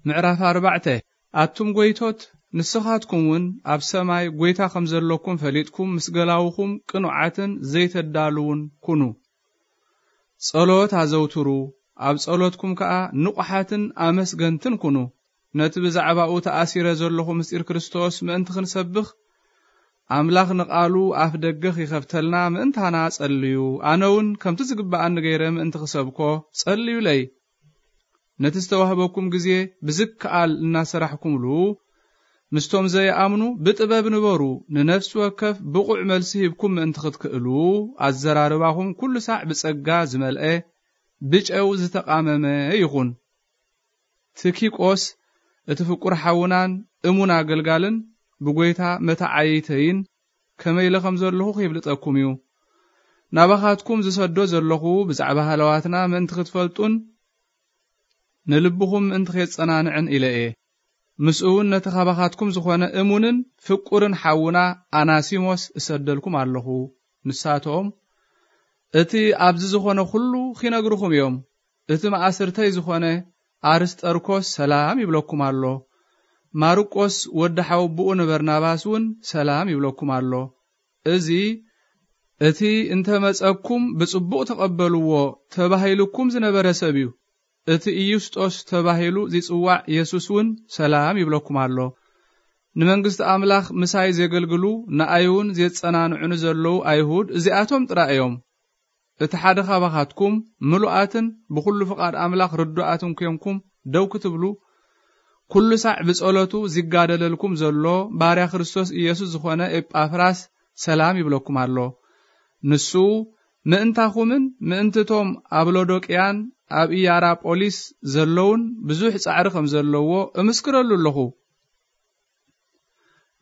ምዕራፍ ኣርባዕተ። ኣቱም ጐይቶት፣ ንስኻትኩም እውን ኣብ ሰማይ ጐይታ ከም ዘለኩም ፈሊጥኩም፣ ምስ ገላውኹም ቅኑዓትን ዘይተዳልዉን ኩኑ። ጸሎት ኣዘውትሩ፣ ኣብ ጸሎትኩም ከኣ ንቑሓትን ኣመስገንትን ኩኑ። ነቲ ብዛዕባኡ ተኣሲረ ዘለኹ ምስጢር ክርስቶስ ምእንቲ ክንሰብኽ፣ ኣምላኽ ንቓሉ ኣፍ ደገ ኺኸፍተልና ምእንታና ጸልዩ። ኣነ እውን ከምቲ ዝግብኣኒ ገይረ ምእንቲ ክሰብኮ ጸልዩለይ። ነቲ ዝተዋህበኩም ግዜ ብዝከኣል እናሰራሕኩምሉ፣ ምስቶም ዘይኣምኑ ብጥበብ ንበሩ። ንነፍሲ ወከፍ ብቑዕ መልሲ ሂብኩም ምእንቲ ክትክእሉ፣ ኣዘራርባኹም ኩሉ ሳዕ ብጸጋ ዝመልአ፣ ብጨው ዝተቓመመ ይኹን። ትኪቆስ፣ እቲ ፍቁር ሓውናን እሙን ኣገልጋልን ብጐይታ መተዓይተይን ከመይ ኢለ ከም ዘለኹ ኺብልጠኩም እዩ። ናባኻትኩም ዝሰዶ ዘለኹ ብዛዕባ ሃለዋትና ምእንቲ ክትፈልጡን ንልብኹም ምእንቲ ኼጸናንዕን ኢለ እየ። ምስኡ እውን ነቲ ካባኻትኩም ዝኾነ እሙንን ፍቁርን ሓውና ኣናሲሞስ እሰደልኩም ኣለኹ። ንሳቶም፣ እቲ ኣብዚ ዝኾነ ኩሉ ኺነግርኹም እዮም። እቲ መኣስርተይ ዝኾነ ኣርስጠርኮስ ሰላም ይብለኩም ኣሎ። ማርቆስ ወዲ ሓወቦኡ ንበርናባስ እውን ሰላም ይብለኩም ኣሎ። እዚ፣ እቲ እንተ መጸኩም ብጽቡቕ ተቐበልዎ ተባሂሉኩም ዝነበረ ሰብ እዩ። እቲ ኢዩስጦስ ተባሂሉ ዚጽዋዕ የሱስ እውን ሰላም ይብለኩም ኣሎ። ንመንግስቲ ኣምላኽ ምሳይ ዜገልግሉ፣ ንኣይ እውን ዜጸናንዑኒ ዘለዉ ኣይሁድ እዚኣቶም ጥራይ እዮም። እቲ ሓደ ኻባኻትኩም ምሉኣትን ብኹሉ ፍቓድ ኣምላኽ ርዱኣትን ኴንኩም ደው ክትብሉ፣ ኩሉ ሳዕ ብጸሎቱ ዚጋደለልኩም ዘሎ ባርያ ክርስቶስ ኢየሱስ ዝኾነ ኤጳፍራስ ሰላም ይብለኩም ኣሎ። ንሱ ምእንታኹምን ምእንቲ እቶም ኣብ ሎዶቅያን ኣብ ኢያራጶሊስ ዘለዉን ብዙሕ ጻዕሪ ከም ዘለዎ እምስክረሉ ኣለኹ።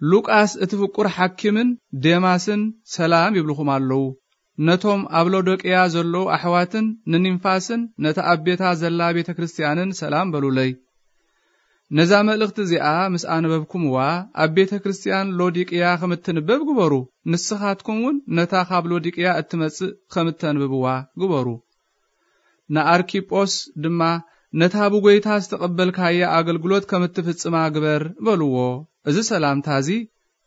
ሉቃስ እቲ ፍቁር ሓኪምን ዴማስን ሰላም ይብልኹም ኣለዉ። ነቶም ኣብ ሎዶቅያ ዘለዉ ኣሕዋትን ንኒምፋስን ነታ ኣብ ቤታ ዘላ ቤተ ክርስቲያንን ሰላም በሉለይ። ነዛ መልእኽቲ እዚኣ ምስ ኣነበብኩምዋ፣ ኣብ ቤተ ክርስቲያን ሎዲቅያ ከም እትንበብ ግበሩ። ንስኻትኩም እውን ነታ ካብ ሎዲቅያ እትመጽእ ከም እተንብብዋ ግበሩ። ንኣርኪጶስ ድማ፣ ነታ ብጐይታ ዝተቐበልካያ ኣገልግሎት ከም እትፍጽማ ግበር በልዎ። እዚ ሰላምታ እዚ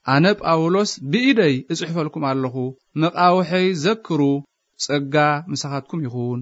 ኣነ ጳውሎስ ብኢደይ እጽሕፈልኩም ኣለኹ። መቓውሐይ ዘክሩ። ጸጋ ምሳኻትኩም ይኹን።